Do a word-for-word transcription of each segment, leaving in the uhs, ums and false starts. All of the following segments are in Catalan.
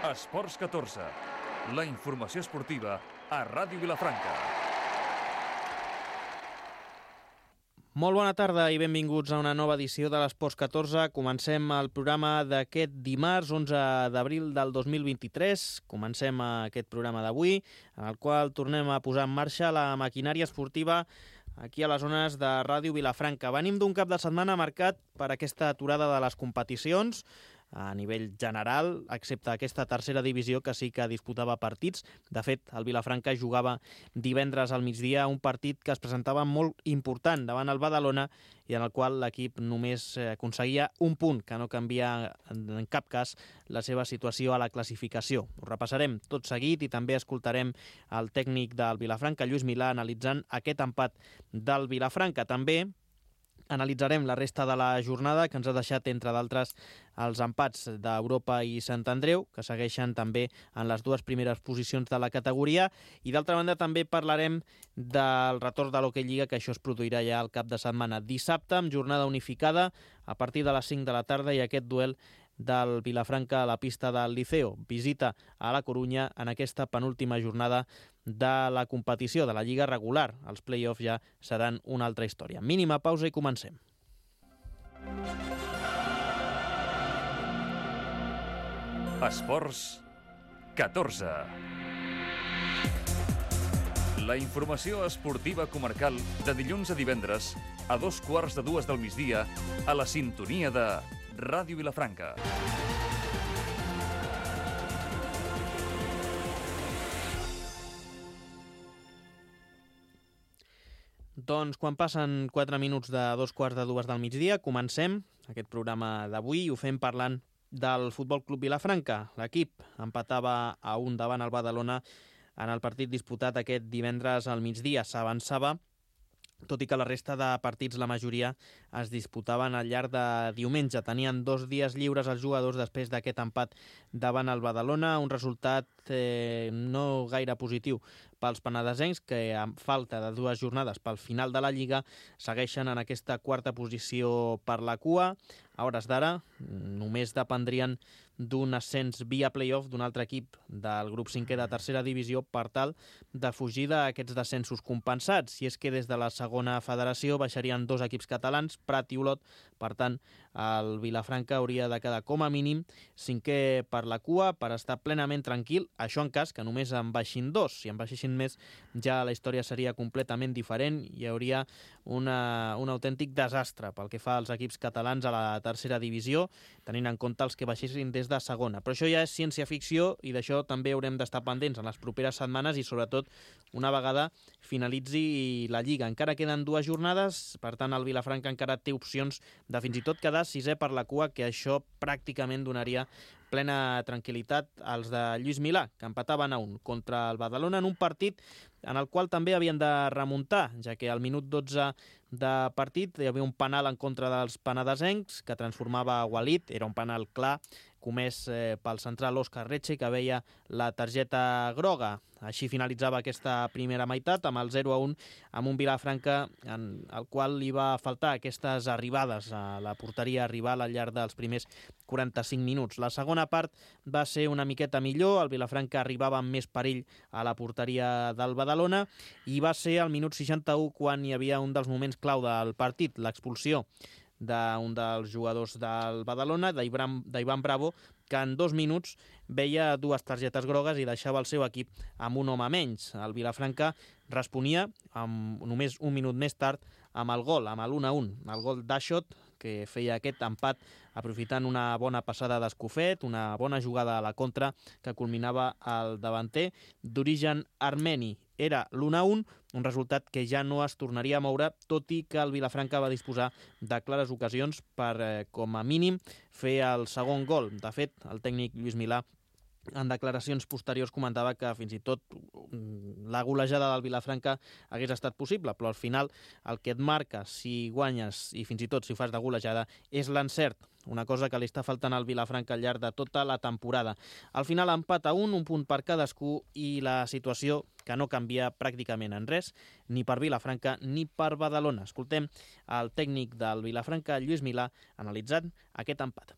Esports catorze, la informació esportiva a Ràdio Vilafranca. Molt bona tarda i benvinguts a una nova edició de l'Esports catorze. Comencem el programa d'aquest dimarts, onze d'abril del dos mil vint-i-tres. Comencem aquest programa d'avui, en el qual tornem a posar en marxa la maquinària esportiva aquí a les zones de Ràdio Vilafranca. Venim d'un cap de setmana marcat per aquesta aturada de les competicions a nivell general, excepte aquesta tercera divisió que sí que disputava partits. De fet, el Vilafranca jugava divendres al migdia un partit que es presentava molt important davant el Badalona i en el qual l'equip només aconseguia un punt, que no canvia en cap cas la seva situació a la classificació. Ho repassarem tot seguit i també escoltarem el tècnic del Vilafranca, Lluís Milà, analitzant aquest empat del Vilafranca. També analitzarem la resta de la jornada, que ens ha deixat, entre d'altres, els empats d'Europa i Sant Andreu, que segueixen també en les dues primeres posicions de la categoria, i d'altra banda també parlarem del retorn de l'Hockey Lliga, que això es produirà ja al cap de setmana. Dissabte, amb jornada unificada, a partir de les cinc de la tarda, i aquest duel del Vilafranca a la pista del Liceo. Visita a la Corunya en aquesta penúltima jornada de la competició, de la Lliga regular. Els play-offs ja seran una altra història. Mínima pausa i comencem. Esports catorze. La informació esportiva comarcal de dilluns a divendres a dos quarts de dues del migdia a la sintonia de Ràdio Vilafranca. Doncs quan passen quatre minuts de dos quarts de dues del migdia, comencem aquest programa d'avui i ho fem parlant del Futbol Club Vilafranca. L'equip empatava a un davant el Badalona en el partit disputat aquest divendres al migdia. S'avançava, tot i que la resta de partits, la majoria, es disputaven al llarg de diumenge. Tenien dos dies lliures els jugadors després d'aquest empat davant el Badalona, un resultat eh, no gaire positiu pels penedesencs, que amb falta de dues jornades pel final de la Lliga segueixen en aquesta quarta posició per la cua. A hores d'ara només dependrien d'un ascens via play-off d'un altre equip del grup cinquè de tercera divisió per tal de fugir d'aquests descensos compensats. Si és que des de la segona federació baixarien dos equips catalans, Prat i Olot. Per tant, el Vilafranca hauria de quedar com a mínim cinquè per la cua per estar plenament tranquil. Això en cas que només en baixin dos. Si en baixessin més, ja la història seria completament diferent. Hi hauria una, un autèntic desastre pel que fa als equips catalans a la tercera divisió, tenint en compte els que baixessin des de segona. Però això ja és ciència-ficció i d'això també haurem d'estar pendents en les properes setmanes i sobretot una vegada finalitzi la Lliga. Encara queden dues jornades, per tant el Vilafranca encara té opcions de fins i tot quedar sisè per la cua, que això pràcticament donaria plena tranquil·litat als de Lluís Milà, que empataven a un contra el Badalona en un partit en el qual també havien de remuntar, ja que al minut dotze de partit hi havia un penal en contra dels penedesencs que transformava Walid, era un penal clar comès eh, pel central Òscar Retxe, que veia la targeta groga. Així finalitzava aquesta primera meitat amb el zero a un, amb un Vilafranca en el qual li va faltar aquestes arribades a la porteria rival al llarg dels primers quaranta-cinc minuts. La segona part va ser una miqueta millor, el Vilafranca arribava amb més perill a la porteria del Badalona i va ser al minut seixanta-u quan hi havia un dels moments clau del partit, l'expulsió d'un dels jugadors del Badalona, d'Ivan Bravo, que en dos minuts veia dues targetes grogues i deixava el seu equip amb un home menys. El Vilafranca responia amb, només un minut més tard amb el gol, amb l'u a un, el gol d'Aixot, que feia aquest empat aprofitant una bona passada d'Escofet, una bona jugada a la contra que culminava el davanter d'origen armeni. Era l'u a un, un resultat que ja no es tornaria a moure, tot i que el Vilafranca va disposar de clares ocasions per, eh, com a mínim, fer el segon gol. De fet, el tècnic Lluís Milà en declaracions posteriors comentava que fins i tot la golejada del Vilafranca hagués estat possible, però al final el que et marca si guanyes i fins i tot si fas de golejada és l'encert, una cosa que li està faltant al Vilafranca al llarg de tota la temporada. Al final empat a un, un punt per cadascú i la situació que no canvia pràcticament en res, ni per Vilafranca ni per Badalona. Escoltem el tècnic del Vilafranca, Lluís Milà, analitzant aquest empat.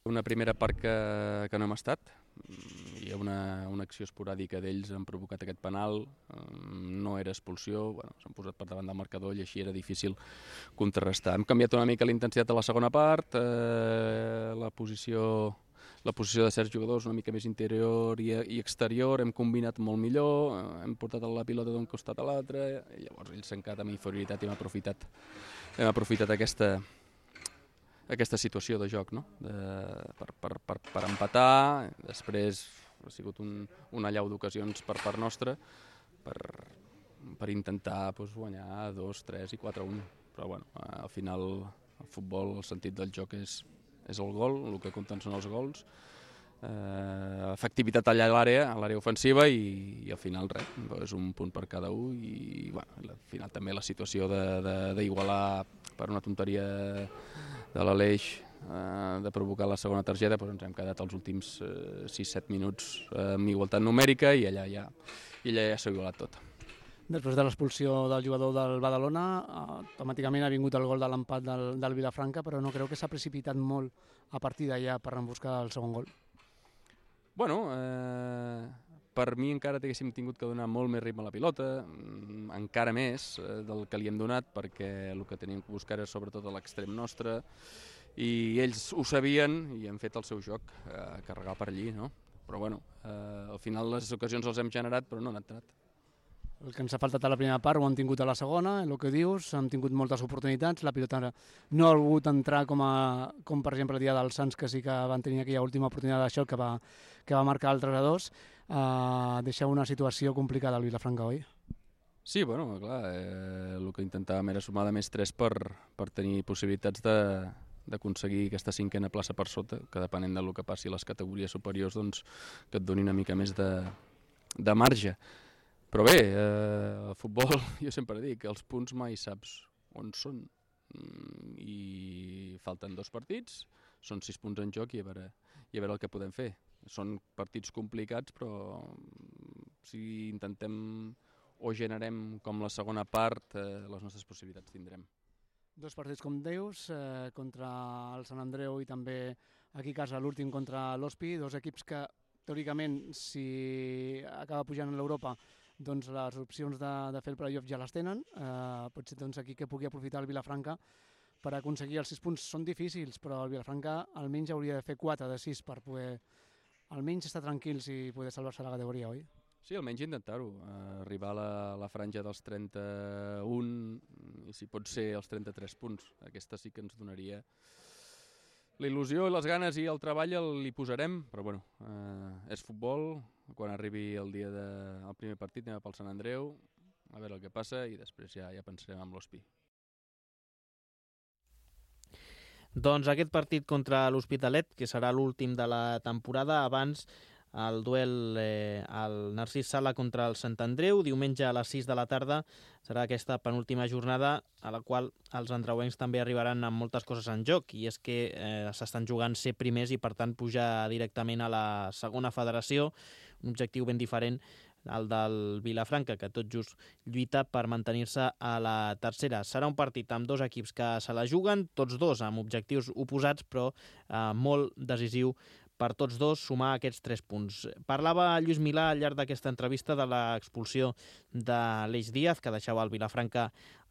Una primera part que, que no hem estat. Hi ha una, una acció esporàdica d'ells, han provocat aquest penal, no era expulsió, bueno, s'han posat per davant del marcador i així era difícil contrarrestar. Hem canviat una mica la intensitat a la segona part, eh, la posició... La posició de certs jugadors una mica més interior i, i exterior, hem combinat molt millor, hem portat la pilota d'un costat a l'altre, i llavors ells s'han quedat amb inferioritat i hem aprofitat, hem aprofitat aquesta, aquesta situació de joc, no? de, per, per, per, per empatar. Després ha sigut un, una allau d'ocasions per part nostra per, per intentar pues, guanyar dos, tres i quatre a un. Però bueno, al final el futbol, el sentit del joc és és el gol, el que compten són els gols, eh, efectivitat allà a l'àrea, a l'àrea ofensiva i, i al final res, és un punt per cada un i bueno, al final també la situació d'igualar per una tonteria de l'Aleix, eh, de provocar la segona targeta, doncs ens hem quedat els últims eh, sis set minuts eh, amb igualtat numèrica i allà ja, i allà ja s'ha igualat tot. Després de l'expulsió del jugador del Badalona, automàticament ha vingut el gol de l'empat del, del Vilafranca, però no creu que s'ha precipitat molt a partir d'allà per buscar el segon gol? Bueno, eh, per mi encara haguéssim tingut que donar molt més ritme a la pilota, encara més eh, del que li hem donat, perquè el que teníem que buscar era sobretot a l'extrem nostre, i ells ho sabien i han fet el seu joc, eh, carregar per allí, no? Però bueno, eh, al final les ocasions els hem generat, però no han entrat. El que ens ha faltat a la primera part ho han tingut a la segona, el que dius, han tingut moltes oportunitats, la pilota no ha volgut entrar com, a, com per exemple el dia dels Sants, que sí que van tenir aquella última oportunitat d'això que va, que va marcar el tres a dos, eh, deixa una situació complicada al Vilafranca, oi? Sí, bueno, clar, eh, el que intentàvem era sumar de més tres per, per tenir possibilitats de d'aconseguir aquesta cinquena plaça per sota, que depenent del que passi a les categories superiors, doncs que et doni una mica més de, de marge. Però bé, eh, el futbol, jo sempre dic, els punts mai saps on són. I falten dos partits, són sis punts en joc i a veure, i a veure el que podem fer. Són partits complicats, però si intentem o generem com la segona part, eh, les nostres possibilitats tindrem. Dos partits, com dius, eh, contra el Sant Andreu i també aquí a casa l'últim contra l'Hospi, dos equips que teòricament, si acaba pujant a l'Europa, doncs les opcions de, de fer el playoff ja les tenen. Eh, potser doncs, aquí que pugui aprofitar el Vilafranca per aconseguir els sis punts són difícils, però el Vilafranca almenys hauria de fer quatre de sis per poder almenys estar tranquils i poder salvar-se la categoria, oi? Sí, almenys intentar-ho, eh, arribar a la, la franja dels trenta-un i si pot ser els trenta-tres punts. Aquesta sí que ens donaria la il·lusió i les ganes i el treball li posarem, però bueno, eh, és futbol. Quan arribi el dia del de, primer partit anem pel Sant Andreu, a veure el que passa i després ja, ja pensarem amb l'Hospi. Doncs aquest partit contra l'Hospitalet, que serà l'últim de la temporada, abans el duel eh, al Narcís Sala contra el Sant Andreu, diumenge a les sis de la tarda, serà aquesta penúltima jornada a la qual els andreuencs també arribaran amb moltes coses en joc, i és que eh, s'estan jugant ser primers i per tant pujar directament a la segona federació, un objectiu ben diferent al del Vilafranca, que tot just lluita per mantenir-se a la tercera. Serà un partit amb dos equips que se la juguen, tots dos amb objectius oposats, però eh, molt decisiu per tots dos sumar aquests tres punts. Parlava Lluís Milà al llarg d'aquesta entrevista de l'expulsió de l'Eix Díaz, que deixava el Vilafranca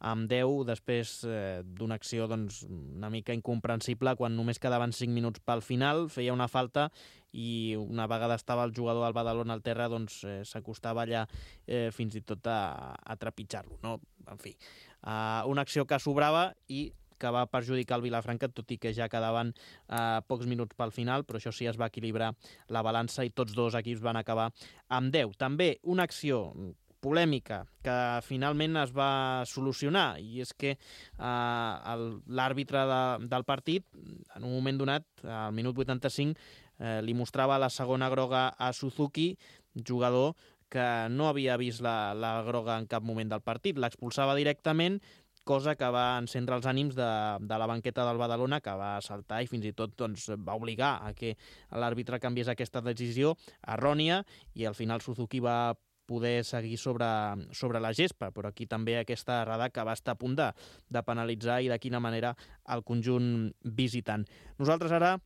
amb deu després eh, d'una acció doncs, una mica incomprensible quan només quedaven cinc minuts pel final, feia una falta i una vegada estava el jugador del Badalona al terra doncs eh, s'acostava allà eh, fins i tot a, a trepitjar-lo, no? En fi, eh, una acció que sobrava i que va perjudicar el Vilafranca, tot i que ja quedaven eh, pocs minuts pel final, però això sí, es va equilibrar la balança i tots dos equips van acabar amb deu. També una acció polèmica que finalment es va solucionar, i és que eh, l'àrbitre de, del partit, en un moment donat, al minut vuitanta-cinc, eh, li mostrava la segona groga a Suzuki, jugador que no havia vist la, la groga en cap moment del partit. L'expulsava directament, cosa que va encendre els ànims de, de la banqueta del Badalona, que va saltar i fins i tot doncs, va obligar a que l'àrbitre canviés aquesta decisió errònia, i al final Suzuki va poder seguir sobre, sobre la gespa, però aquí també aquesta errada que va estar a punt de, de penalitzar i de quina manera el conjunt visitant. Nosaltres ara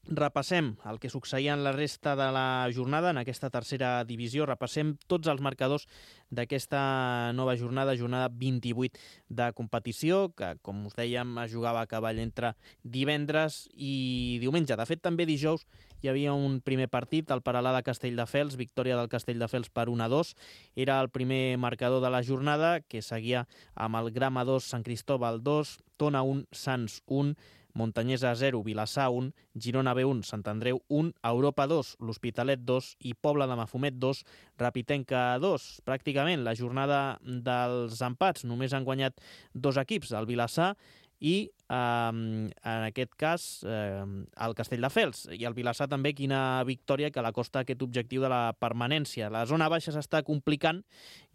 Repassem el que succeïa en la resta de la jornada, en aquesta tercera divisió. Repassem tots els marcadors d'aquesta nova jornada, jornada vint-i-vuit de competició, que, com us dèiem, es jugava a cavall entre divendres i diumenge. De fet, també dijous hi havia un primer partit, el Peralada Castelldefels, victòria del Castelldefels per un a dos. Era el primer marcador de la jornada, que seguia amb el Grama dos, Sant Cristóbal dos, Tona un, Sants un, Montanyesa zero, Vilassar un, Girona B un, Sant Andreu un, Europa dos, l'Hospitalet dos i Pobla de Mafumet dos, Rapitenca dos. Pràcticament la jornada dels empats, només han guanyat dos equips, el Vilassar i, eh, en aquest cas, eh, el Castelldefels. I el Vilassar també, quina victòria que l'acosta aquest objectiu de la permanència. La zona baixa s'està complicant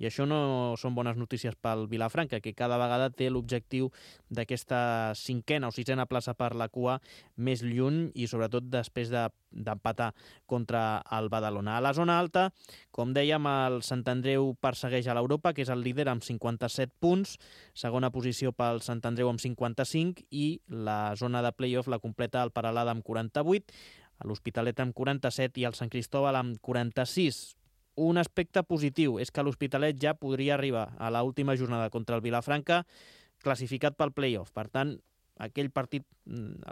i això no són bones notícies pel Vilafranca, que cada vegada té l'objectiu d'aquesta cinquena o sisena plaça per la cua més lluny i sobretot després de, d'empatar contra el Badalona. A la zona alta, com dèiem, el Sant Andreu persegueix a l'Europa, que és el líder amb cinquanta-set punts, segona posició pel Sant Andreu amb cinquanta-cinc i la zona de play-off la completa el Peralada amb quaranta-vuit, l'Hospitalet amb quaranta-set i el Sant Cristóbal amb quaranta-sis. Un aspecte positiu és que l'Hospitalet ja podria arribar a l'última jornada contra el Vilafranca classificat pel play-off. Per tant, aquell partit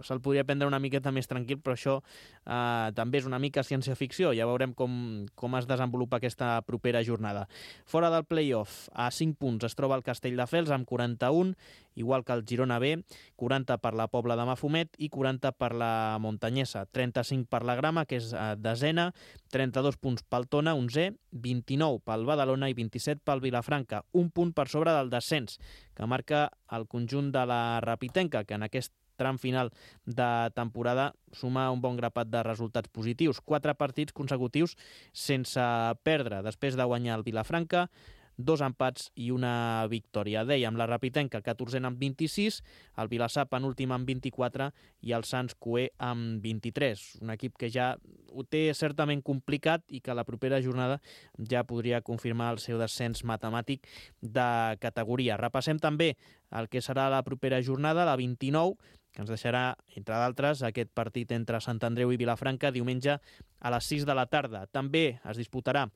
se'l podria prendre una miqueta més tranquil, però això eh, també és una mica ciència-ficció. Ja veurem com, com es desenvolupa aquesta propera jornada. Fora del play-off, a cinc punts es troba el Castelldefels amb quaranta-un, igual que el Girona B, quaranta per la Pobla de Mafumet i quaranta per la Montanyesa, trenta-cinc per la Grama, que és eh, desena, trenta-dos punts pel Tona, onzè, vint-i-nou pel Badalona i vint-i-set pel Vilafranca, un punt per sobre del descens, que marca el conjunt de la Rapitenca, que en aquest tram final de temporada suma un bon grapat de resultats positius. Quatre partits consecutius sense perdre, després de guanyar el Vilafranca, dos empats i una victòria. Dèiem, la Rapitenca, catorzena amb vint-i-sis, el Vilassar penúltim amb vint-i-quatre i el Sants Cué amb vint-i-tres. Un equip que ja ho té certament complicat i que la propera jornada ja podria confirmar el seu descens matemàtic de categoria. Repassem també el que serà la propera jornada, la vint-i-nou, que ens deixarà, entre d'altres, aquest partit entre Sant Andreu i Vilafranca diumenge a les sis de la tarda. També es disputarà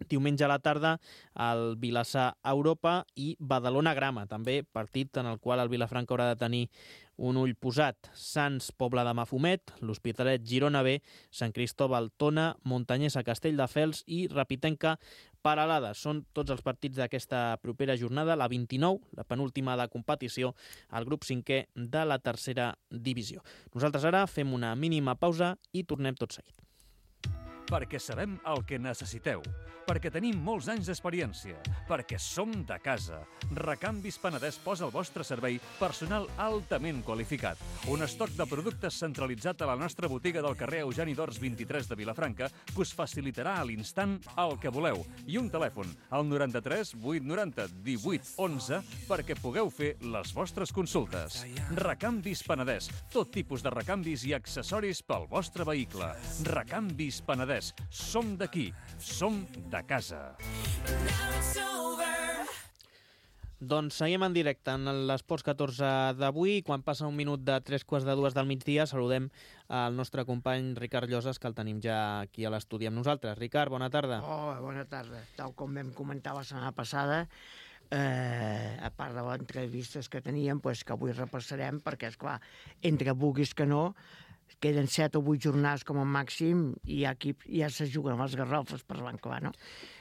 diumenge a la tarda el Vilassar Europa i Badalona Grama, també partit en el qual el Vilafranca haurà de tenir un ull posat. Sants Pobla de Mafumet, l'Hospitalet Girona B, Sant Cristóbal Tona, Montanyesa Castelldefels i Rapitenca Peralada. Són tots els partits d'aquesta propera jornada, la vint-i-nou, la penúltima de competició, al grup cinquè de la tercera divisió. Nosaltres ara fem una mínima pausa i tornem tot seguit. Perquè sabem el que necessiteu, perquè tenim molts anys d'experiència, perquè som de casa. Recanvis Penedès posa al vostre servei personal altament qualificat. Un estoc de productes centralitzat a la nostra botiga del carrer Eugeni d'Ors vint-i-tres de Vilafranca que us facilitarà a l'instant el que voleu. I un telèfon, al noranta-tres vuit noranta divuit onze, perquè pugueu fer les vostres consultes. Recanvis Penedès, tot tipus de recanvis i accessoris pel vostre vehicle. Recanvis Penedès. Som d'aquí, som de casa. Doncs seguim en directe en l'Esports catorze d'avui. Quan passa un minut de tres quarts de dues del migdia, saludem al nostre company Ricard Llosas, que el tenim ja aquí a l'estudi amb nosaltres. Ricard, bona tarda. Oh, bona tarda. Tal com vam comentar la setmana passada, eh, a part de les entrevistes que teníem, pues, que avui repassarem, perquè, esclar, entre vulguis que no, queden set o vuit jornades com a màxim i aquí ja se juguen les garrofes, parlant clar, no?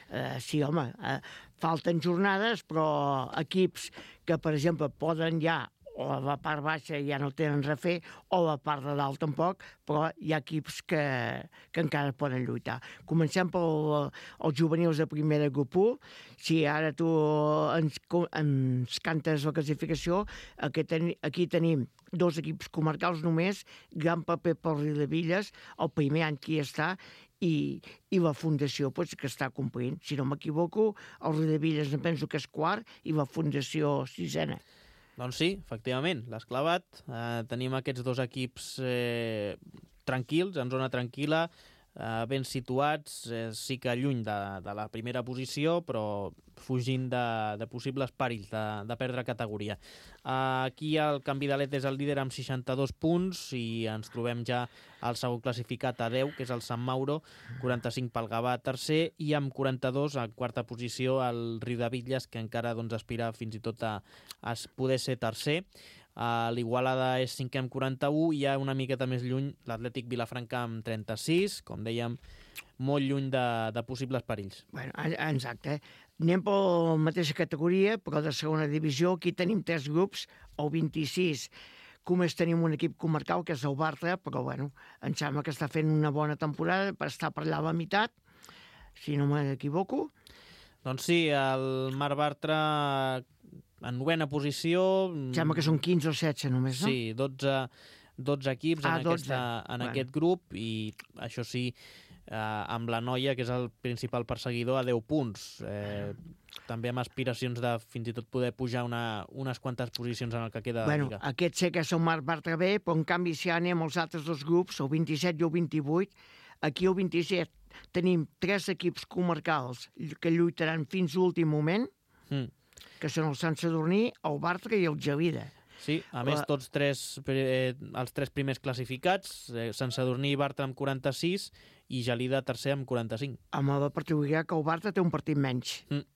Eh, sí, home, eh, falten jornades, però equips que, per exemple, poden ja, o a la part baixa ja no tenen res a fer, o a la part de dalt tampoc, però hi ha equips que, que encara poden lluitar. Comencem pels juvenils de primera grup u. Si ara tu ens, ens cantes la classificació, aquí, ten, aquí tenim dos equips comarcals només, gran paper pel Riudebitlles, el primer any que hi està, i, i la Fundació pues, que està complint. Si no m'equivoco, el Riudebitlles em penso que és quart i la Fundació sisena. Doncs sí, efectivament, l'has clavat. Eh, tenim aquests dos equips eh, tranquils, en zona tranquil·la, eh, ben situats, eh, sí que lluny de, de la primera posició, però fugint de, de possibles perills de, de perdre categoria. Eh, aquí el Canvidalet és el líder amb seixanta-dos punts i ens trobem ja el segon classificat a deu, que és el Sant Mauro, quaranta-cinc pel Gavà tercer, i amb quaranta-dos a quarta posició el Riudebitlles, que encara doncs, aspira fins i tot a, a poder ser tercer. Uh, L'Igualada és cinquè amb quaranta-u i ja una miqueta més lluny l'Atlètic Vilafranca amb trenta-sis, com dèiem, molt lluny de, de possibles perills. Bueno, exacte. Anem per la mateixa categoria, però de segona divisió. Aquí tenim tres grups, el vint-i-sis. Només tenim un equip comarcal, que és el Bartra, però bueno, em sembla que està fent una bona temporada per estar per allà a la meitat, si no m'equivoco. Doncs sí, el Mar Bartra en novena posició. Sembla que són quinze o setze només, no? Sí, dotze, dotze equips ah, en, dotze. Aquesta, en bueno. aquest grup, i això sí, eh, amb la Noia, que és el principal perseguidor, a deu punts. Eh, també amb aspiracions de fins i tot poder pujar una, unes quantes posicions en el que queda bueno, de Lliga. Aquest sé que és el Mar Bartra B, però en canvi si anem als altres dos grups, el vint-i-set i el vint-i-vuit, aquí el vint-i-set tenim tres equips comarcals que lluitaran fins a l'últim moment, mm. que són el Sant Sadurní, el Bartra i el Gelida. Sí, a més, La... tots tres, eh, els tres primers classificats, eh, Sant Sadurní i Bartra amb quaranta-sis i Gelida tercer amb quaranta-cinc. Amb la particularitat que el Bartra té un partit menys. Mm.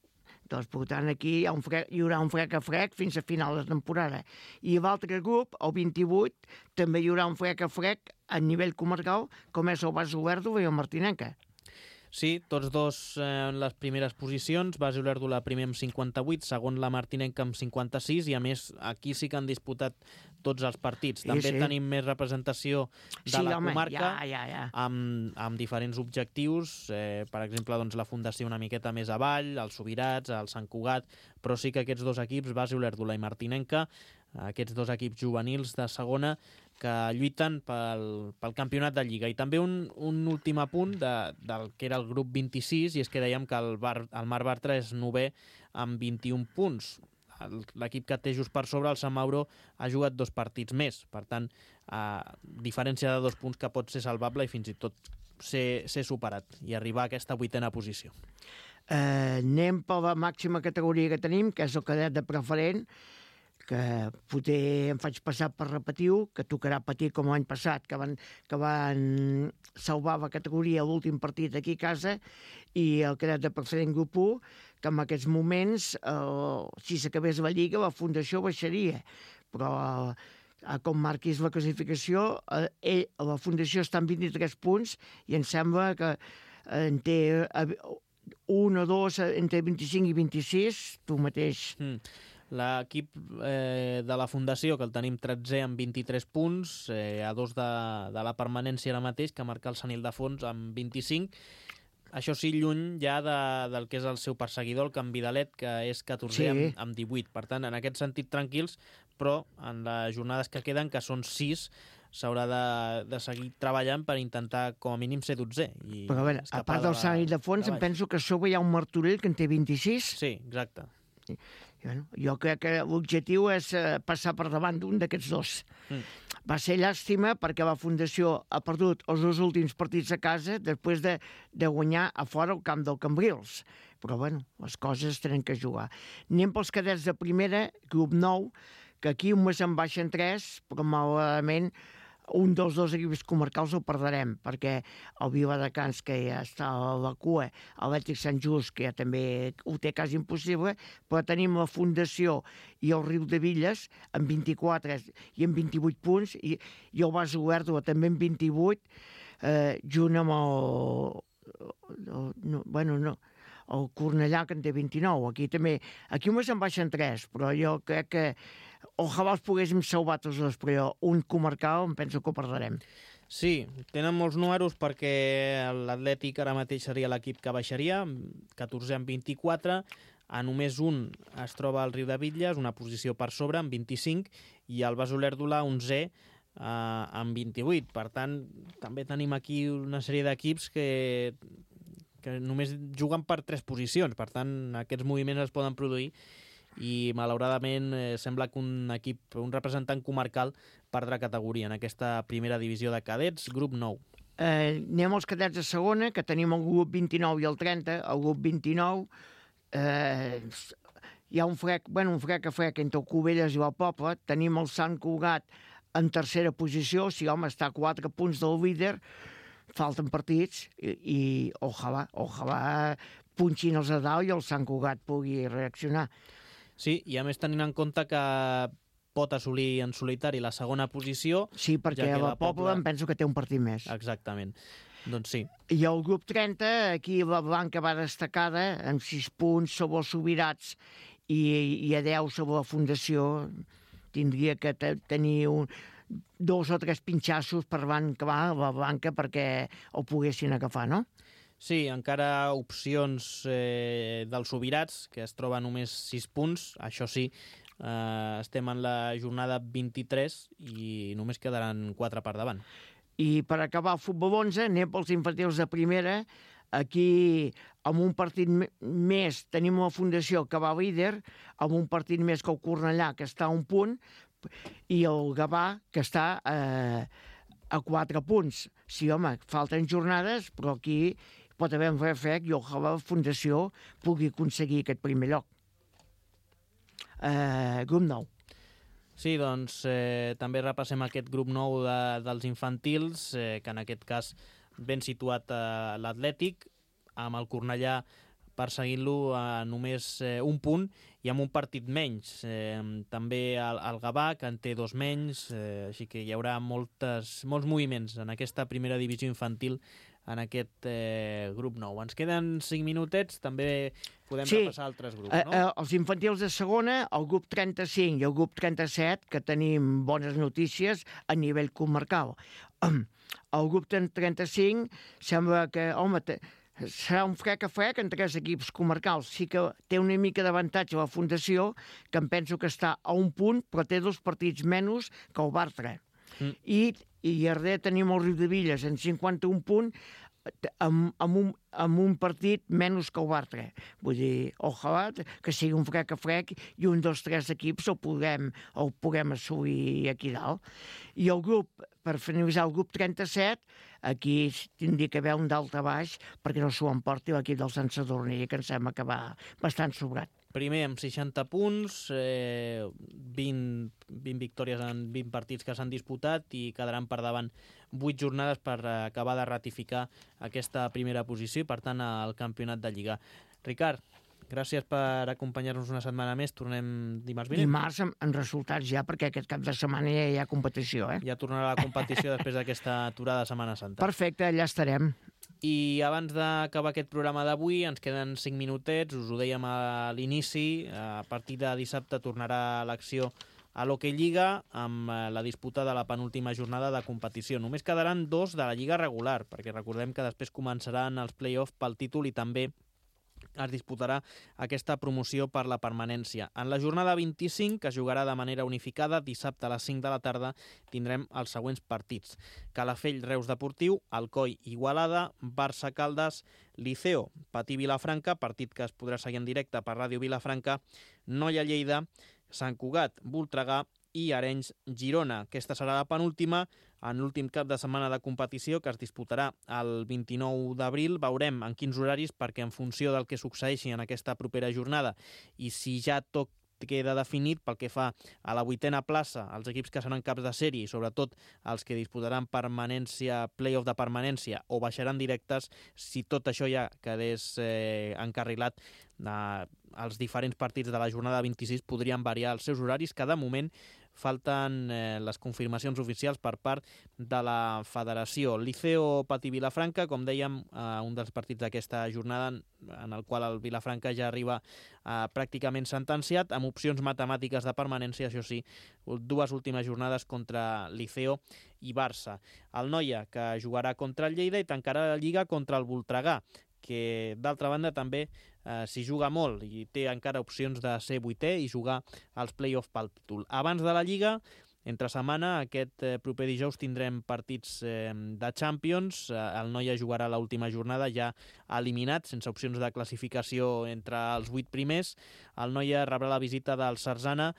Doncs, per tant, aquí hi, ha un frec, hi haurà un frec a frec fins a final de temporada. I l'altre grup, el vint-i-vuit, també hi haurà un frec a frec a nivell comarcal, com és el Bas Olèrdola i el Martinenca. Sí, tots dos eh, en les primeres posicions. Bas Olèrdola primer amb cinquanta-vuit, segon la Martinenca amb cinquanta-sis, i a més aquí sí que han disputat tots els partits. També sí, sí. tenim més representació de sí, la home, comarca ja, ja, ja. Amb, amb diferents objectius, eh, per exemple, doncs, la Fundació una miqueta més avall, els Sobirats, el Sant Cugat, però sí que aquests dos equips, Bas Olèrdola i Martinenca, aquests dos equips juvenils de segona, que lluiten pel, pel campionat de Lliga. I també un, un últim apunt de, del que era el grup vint-i-sis, i és que dèiem que el, Bar, el Mar Bartra és novè amb vint-i-un punts. L'equip que té just per sobre, el Sant Mauro, ha jugat dos partits més. Per tant, a diferència de dos punts que pot ser salvable i fins i tot ser, ser superat i arribar a aquesta vuitena posició. Eh, anem per la màxima categoria que tenim, que és el cadet de preferent, que potser em faig passar per repetiu, que tocarà patir com l'any passat, que van, que van salvar la categoria a l'últim partit aquí a casa, i el cadet de preferent grup u, que en aquests moments, eh, si s'acabés la Lliga, la Fundació baixaria. Però eh, com marquis la classificació, eh, ell, la Fundació està en vint-i-tres punts, i em sembla que eh, en té eh, un o dos entre vint-i-cinc i vint-i-sis, tu mateix... Mm. L'equip eh, de la Fundació, que el tenim tretzè amb vint-i-tres punts, eh, a dos de, de la permanència ara mateix, que marca el Sant Ildefons amb vint-i-cinc. Això sí, lluny ja de, del que és el seu perseguidor, el Canvidalet, que és catorzè sí. amb, amb divuit. Per tant, en aquest sentit, tranquils, però en les jornades que queden, que són sis, s'haurà de, de seguir treballant per intentar, com a mínim, ser dotzè. I però a veure, a part del Sant Ildefons, em penso que a sobre hi ha un Martorell que en té vint-i-sis. Sí, exacte. Sí. Bueno, jo crec que l'objectiu és eh, passar per davant d'un d'aquests dos. Mm. Va ser llàstima perquè la Fundació ha perdut els dos últims partits a casa després de, de guanyar a fora el camp del Cambrils. Però, bueno, les coses tenen que jugar. Anem pels cadets de primera, grup nou, que aquí un mes en baixen tres, però malauradament un dels dos equips comarcals el perdrem, perquè el Viladecans, que ja està a la cua, l'Atlètic Sant Just, que ja també ho té quasi impossible, però tenim la Fundació i el Riudebitlles amb vint-i-quatre i amb vint-i-vuit punts, i, i el Bas Olèrdola també amb vint-i-vuit, eh, junt amb el... el no, bueno, no, el Cornellà, que en té vint-i-nou. Aquí també, aquí només en baixen tres, però jo crec que ojalà els poguéssim salvar tots dos, però un comarcal em penso que ho perdrem. Sí, tenen molts números perquè l'Atlètic ara mateix seria l'equip que baixaria, catorzè amb vint-i-quatre, a només un es troba el Riudebitlles, una posició per sobre, amb vint-i-cinc, i el Bas Olèrdola, onzè, eh, amb vint-i-vuit. Per tant, també tenim aquí una sèrie d'equips que, que només juguen per tres posicions, per tant, aquests moviments es poden produir, i malauradament eh, sembla que un equip, un representant comarcal perdrà categoria en aquesta primera divisió de cadets, grup nou. Eh, anem als cadets de segona, que tenim el grup vint-i-nou i el trenta. El grup vint-i-nou eh, hi ha un frec, bueno, un frec a frec entre el Cubelles i el Poble. Tenim el Sant Cugat en tercera posició, si home està a quatre punts del líder, falten partits i, i ojalà, ojalà punxin els de dalt i el Sant Cugat pugui reaccionar. Sí, i a més tenint en compte que pot assolir en solitari la segona posició. Sí, perquè ja la, la Pobla, Pobla em penso que té un partit més. Exactament. Doncs sí. I el grup trenta, aquí la Blanca va destacada amb sis punts sobre els Subirats i, i a deu sobre la Fundació. Tindria que tenir un, dos o tres pinxassos per van acabar la Blanca perquè ho poguessin agafar, no? Sí, encara opcions eh, dels Subirats, que es troba només sis punts. Això sí, eh, estem en la jornada vint-i-tres i només quedaran quatre per davant. I per acabar el futbol onze, anem pels infantils de primera. Aquí, amb un partit més, tenim la Fundació que va líder, amb un partit més que el Cornellà, que està a un punt, i el Gavà, que està eh, a quatre punts. Sí, home, falten jornades, però aquí pot haver un refrec i ojalà la Fundació pugui aconseguir aquest primer lloc. Eh, grup nou. Sí, doncs eh, també repassem aquest grup nou de, dels infantils, eh, que en aquest cas ben situat a l'Atlètic, amb el Cornellà perseguint-lo a només eh, un punt i amb un partit menys. Eh, també el, el Gavà, que en té dos menys, eh, així que hi haurà moltes, molts moviments en aquesta primera divisió infantil en aquest eh, grup nou. Ens queden cinc minutets, també podem sí. repassar altres grups, no? Eh, eh, els infantils de segona, el grup trenta-cinc i el grup trenta-set, que tenim bones notícies a nivell comarcal. El grup trenta-cinc sembla que, home, te, serà un frec a frec en tres equips comarcals. Sí que té una mica d'avantatge la Fundació, que em penso que està a un punt, però té dos partits menys que el Bartra. Mm. I, i a darrere tenim el Riudevilles en cinquanta-un punts, amb, amb, un, amb un partit menys que el Bartra. Vull dir, ojalà que sigui un frec a frec i un dels tres equips el puguem, el puguem assolir aquí dalt. I el grup, per finalitzar el grup trenta-set, aquí tindria que haver un dalt a baix perquè no s'ho emporti l'equip del Sant Sadurní, que em sembla que va bastant sobrat. Primer amb seixanta punts, eh, vint, vint victòries en vint partits que s'han disputat i quedaran per davant vuit jornades per acabar de ratificar aquesta primera posició i, per tant, al campionat de Lliga. Ricard, gràcies per acompanyar-nos una setmana més. Tornem dimarts vinent. Dimarts amb, amb resultats ja, perquè aquest cap de setmana ja hi ha competició, eh? Ja tornarà la competició després d'aquesta aturada de Setmana Santa. Perfecte, allà estarem. I abans d'acabar aquest programa d'avui ens queden cinc minutets, us ho dèiem a l'inici, a partir de dissabte tornarà l'acció a l'Hockey Lliga amb la disputa de la penúltima jornada de competició. Només quedaran dos de la Lliga regular, perquè recordem que després començaran els play-offs pel títol i també es disputarà aquesta promoció per la permanència. En la jornada vint-i-cinc, que es jugarà de manera unificada, dissabte a les cinc de la tarda tindrem els següents partits. Calafell, Reus Deportiu, Alcoi, Igualada, Barça, Caldes, Liceo, Patí, Vilafranca, partit que es podrà seguir en directe per Ràdio Vilafranca, Noia, Lleida, Sant Cugat, Voltregà i Arenys, Girona. Aquesta serà la penúltima en l'últim cap de setmana de competició que es disputarà el vint-i-nou d'abril. Veurem en quins horaris, perquè en funció del que succeeixi en aquesta propera jornada i si ja tot queda definit pel que fa a la vuitena plaça, els equips que seran caps de sèrie i sobretot els que disputaran permanència, play-off de permanència o baixaran directes, si tot això ja quedés eh, encarrilat, eh, els diferents partits de la jornada vint-i-sis podrien variar els seus horaris, que de moment falten eh, les confirmacions oficials per part de la federació. Liceo Patí Vilafranca, com dèiem, eh, un dels partits d'aquesta jornada en el qual el Vilafranca ja arriba eh, pràcticament sentenciat, amb opcions matemàtiques de permanència, això sí, dues últimes jornades contra Liceo i Barça. El Noia, que jugarà contra el Lleida i tancarà la Lliga contra el Voltregà, que d'altra banda també eh, s'hi juga molt i té encara opcions de ser vuitè i jugar als play-off pel títol. Abans de la Lliga, entre setmana, aquest eh, proper dijous tindrem partits eh, de Champions. Eh, el Noia jugarà l'última jornada ja eliminat, sense opcions de classificació entre els vuit primers. El Noia rebrà la visita del Sarzana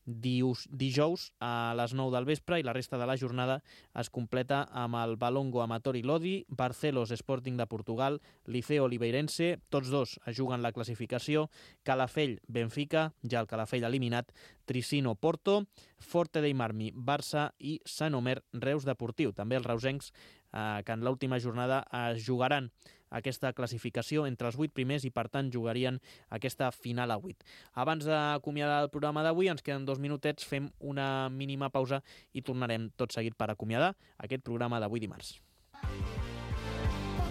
dijous a les nou del vespre, i la resta de la jornada es completa amb el Valongo Amatori Lodi, Barcelos Sporting de Portugal, Liceo Oliveirense, tots dos es juguen la classificació, Calafell Benfica, ja el Calafell eliminat, Tricino Porto, Forte dei Marmi Barça i Sant Omer Reus Deportiu. També els reusencs eh, que en l'última jornada es jugaran aquesta classificació entre els vuit primers i, per tant, jugarien aquesta final a vuit. Abans d'acomiadar el programa d'avui, ens queden dos minutets, fem una mínima pausa i tornarem tot seguit per acomiadar aquest programa d'avui dimarts.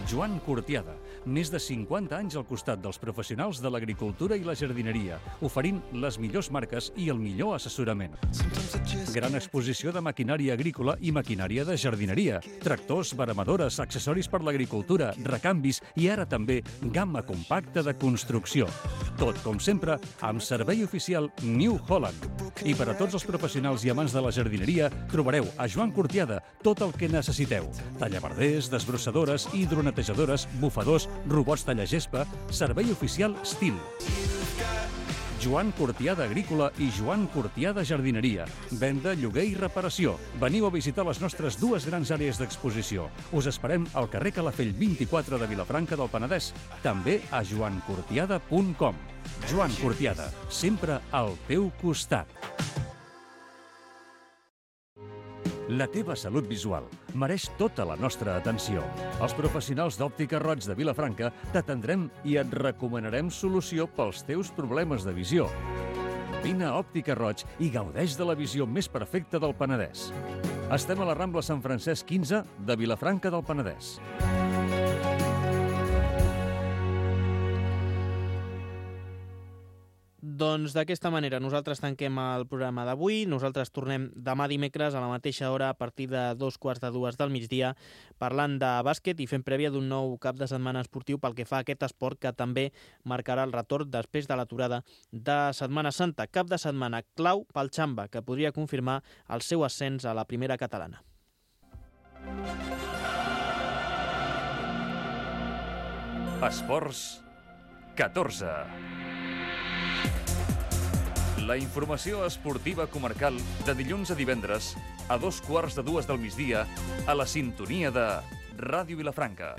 Joan Cortiada, més de cinquanta anys al costat dels professionals de l'agricultura i la jardineria, oferint les millors marques i el millor assessorament. Gran exposició de maquinària agrícola i maquinària de jardineria, tractors, veremadores, accessoris per l'agricultura, recanvis i ara també gamma compacta de construcció. Tot, com sempre, amb servei oficial New Holland. I per a tots els professionals i amants de la jardineria trobareu a Joan Cortiada tot el que necessiteu. Tallaverders, desbrossadores, hidronetejadores, bufadors, robots tallagespa, servei oficial Stil. Joan Cortiada Agrícola i Joan Cortiada Jardineria. Venda, lloguer i reparació. Veniu a visitar les nostres dues grans àrees d'exposició. Us esperem al carrer Calafell vint-i-quatre de Vilafranca del Penedès. També a joan cortiada punt com. Joan Cortiada, sempre al teu costat. La teva salut visual mereix tota la nostra atenció. Els professionals d'Òptica Roig de Vilafranca t'atendrem i et recomanarem solució pels teus problemes de visió. Vine a Òptica Roig i gaudeix de la visió més perfecta del Penedès. Estem a la Rambla Sant Francesc quinze de Vilafranca del Penedès. Doncs d'aquesta manera nosaltres tanquem el programa d'avui. Nosaltres tornem demà dimecres a la mateixa hora a partir de dos quarts de dues del migdia parlant de bàsquet i fent prèvia d'un nou cap de setmana esportiu pel que fa a aquest esport que també marcarà el retorn després de l'aturada de Setmana Santa. Cap de setmana clau pel Xamba, que podria confirmar el seu ascens a la primera catalana. Esports catorze. La informació esportiva comarcal de dilluns a divendres a dos quarts de dues del migdia a la sintonia de Ràdio Vilafranca.